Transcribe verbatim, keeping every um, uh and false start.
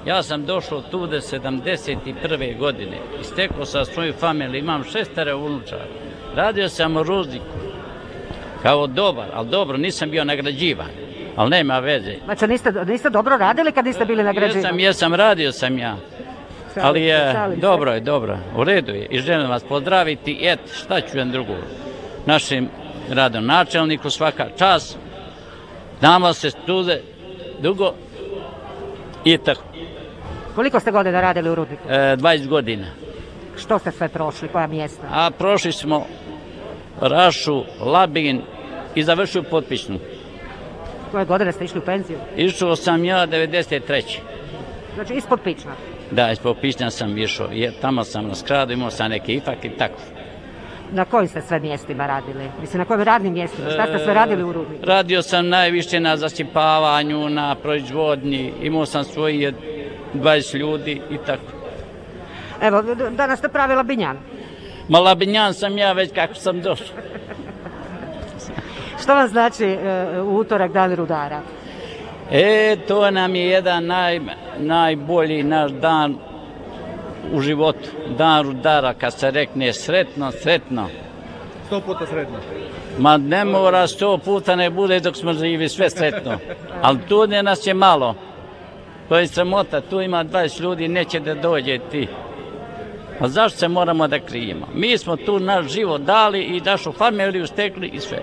Ja sam došao tu do sedamdeset prve godine i stekao sam svoju familiju, imam šestero unučara. Radio sam u Rudniku kao dobar, ali dobro, nisam bio nagrađivan, ali nema veze. Znači niste, niste dobro radili kad niste bili nagrađivani? Jesam, jesam, radio sam ja. Ali je, dobro je, dobro, u redu je i želim vas pozdraviti i et, šta ću jedan drugo, našem gradonačelniku svaka čast, nama se stude dugo i tako. Koliko ste godina radili u Rudniku? E, dvadeset godina. Što ste sve prošli, koja mjesta? A prošli smo Rašu, Labin i završio Potpičnu. Koje godine ste išli u penziju? Išao sam ja devedeset treće. Znači ispod Pična? Da, ispod Pična sam išao, jer tamo sam na skradu, imao sam neke ifak i tako. Na kojim ste sve mjestima radili? Mislim, na kojim radnim mjestima? Šta ste sve radili u Rudniku? Radio sam najviše na zasipavanju, na proizvodnji, imao sam svoje dvadeset ljudi i tako. Evo, danas ste pravi labinjan. Ma labinjan sam ja već kako sam došao. Što vam znači uh, utorak, dan rudara? E, to nam je jedan naj, najbolji naš dan u životu. Dan rudara, kad se rekne sretno, sretno. Sto puta sretno. Ma ne mora sto puta ne bude dok smo živi, sve sretno. Ali tu ne nas je malo. To je sramota, tu ima dvadeset ljudi, neće da dođe ti. A zašto se moramo da krijemo? Mi smo tu naš život dali i našu familiju stekli i sve.